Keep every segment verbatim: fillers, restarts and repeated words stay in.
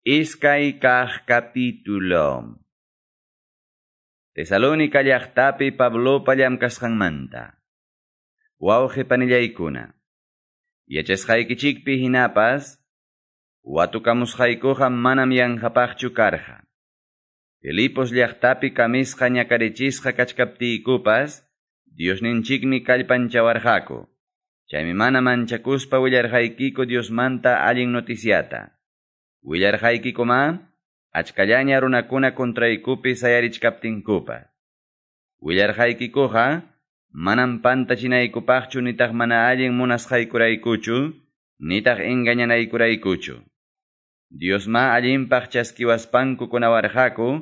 Iskay kaq capítulo. Tesalónica llaqtapi Pablopa llamkasqanmanta. Wawqi panillaykuna. Yachasqaykichikpi hinapas, watukamusqaykuqa manam yanqapaqchu karqa. Filipos llaqtapi kamisqa ñakarichisqa kachkaptiykupas, Diosninchikmi kallpanchawarqaku. Chaymi mana manchakuspa willarqaykiku Diosmanta allin noticiata. Willarqaykikuma, achkallaña runakuna contraykupi sayarichkaptinkupas. Willarqaykikuqa, manam pantachinaykupaqchu nitaq mana allin munasqaykuraykuchu, nitaq engañanaykuraykuchu. Diosma allinpaq chaskiwaspanku kunawarqaku,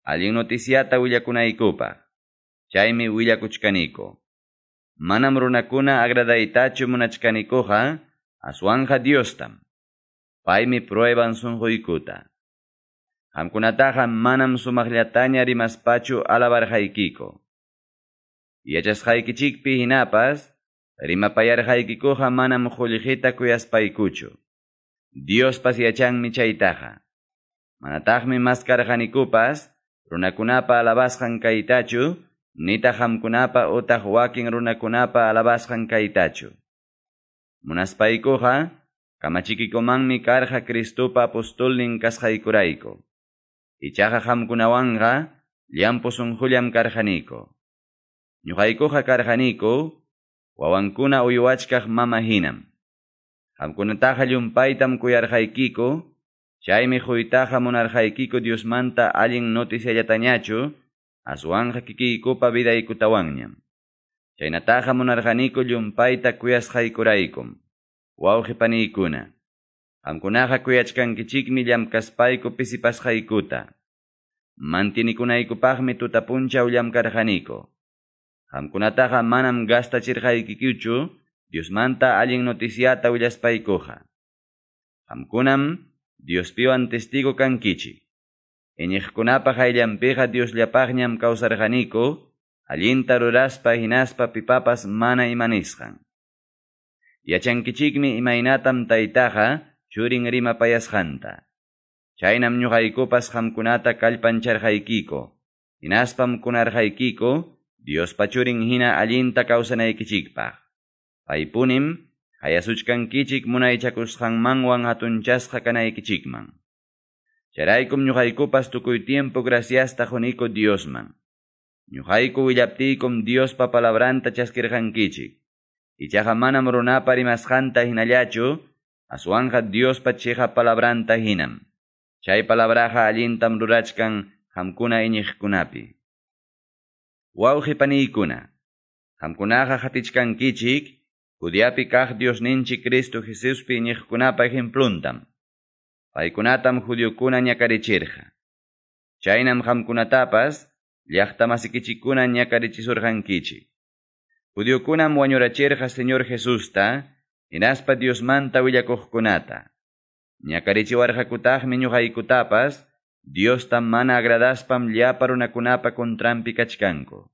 allin noticiata willakunaykupaq. Chaymi willakuchkaniku. Manam runakuna agradaytachu munachkanikuqa, aswanja Diostam. Paymi prueban sunquykuta. Qamkunataqa manam sumaqllataña rimaspachu alabarqaykiku. Yachasqaykichikpi hinapas, rimapayarqaykikuqa manam qullqita kuyaspaykuchu. Diospas yachanmi chaytaqa. Manataqmi maskarqanikupas, runakunapa alabasqan kaytachu, nitaq qamkunapa utaq wakin runakunapa alabasqan kaytachu. Munaspaykuqa, kamachikikumanmi karqa Cristopa apostolnin kasqaykurayku. Ichaqa qamkunawanqa llampu sunqullam karqaniku. Ñuqaykuqa karqaniku, wawankuna uywachkaq mama hinam. Qamkunataqa llumpaytam kuyarqaykiku, chaymi quytaqa munarqaykiku Diosmanta allin noticiallatañachu, aswanqa kikiykupa vidaykutawanñam. Chaynataqa munarqaniku llumpayta kuyasqaykuraykum. Wawqi paniykuna, qamkunaqa kuyachkankichikmi llamkaspayku pisipasqaykuta. Mantinikunaykupaqmi tuta punchaw llamkarqaniku. Qamkunataqa manam gastachirqaykikuchu Diosmanta allin noticiata willaspaykuqa. Qamkunam Diospiwan testigo kankichik. Iñiqkunapa qayllanpiqa Diosllapaqñam kawsarqaniku, allinta ruraspa hinaspa pipapas mana imanisqan. Yachankichikmi imaynatam taytaqa churin rimapayasqanta. Chaynam ñuqaykupas qamkunata kallpancharqaykiku, hinaspam kunarqaykiku Diospa churin hina allinta kawsanaykichikpaq. Paypunim hayasuchkankichik munaychakusqanmanwan hatunchasqa kanaykichikman. Chayraykum ñuqaykupas tukuy tiempo graciasta quniku Diosman. Ñuqayku willaptiykum Diospa palabranta chaskirqankichik. Ichaqa manam runapa rimasqanta hinallachu, aswanqa Diospa chiqa palabranta hinam. Chay palabraqa allintam rurachkan qamkuna iñiqkunapi. Wawqi paniykuna, qamkunaqa qatichkankichik, Judeapi kaq Diosninchik Cristo Jesuspi iñiqkunapa ejempluntam. Paykunatam judiokuna ñakarichirqa. Chaynam qamkunatapas llaqtamasikichikkuna ñakarichisurqankichik. Judiokunam wañurachirqa Señor Jesusta, hinaspa Diosmanta willakuqkunata. Ñakarichiwarqakutaqmi ñuqaykutapas, Diosta mana agradaspam llapa runakunapa contranpi kachkanku.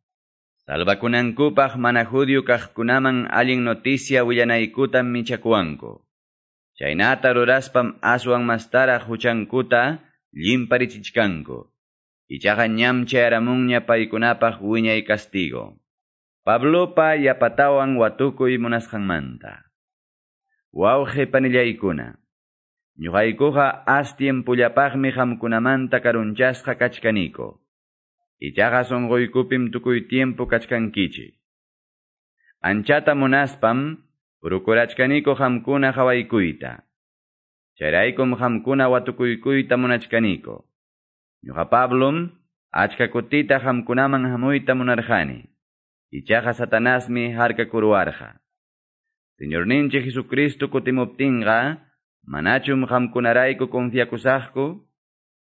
Salvakunankupaq mana judio kaqkunaman allin noticia willanaykutam michakuwanku. Chaynata ruraspam aswan mastaraq huchankuta llimparichichkanku. Ichaqa ñam chayaramunña paykunapaq wiñay castigo. Pablopa yapatawan watukuy munasqanmanta. Wawqi panillaykuna, ñuqaykuqa as tiempullapaqmi qamkunamanta karunchasqa kachkaniku. Ichaqa sunquykupim tukuy tiempo kachkankichik. Anchata munaspam prokurachkaniku qamkuna qawaykuyta. Chayraykum qamkuna watukuykuyta munachkaniku. Ñuqa Pablom achka kutita qamkunaman hamuyta munarqani. Ichaqa Satanasmi harkakuruwarqa. Señorninchik Jesucristo kutimuptinqa, manachum qamkunarayku confiakusaqku,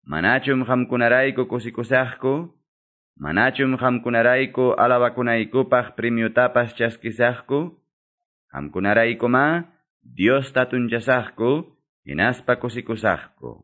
manachum qamkunarayku kusikusaqku, manachum qamkunarayku alabakunaykupaq premiotapas chaskisaqku, qamkunaraykuma Diosta tunchasaqku, hinaspa kusikusaqku.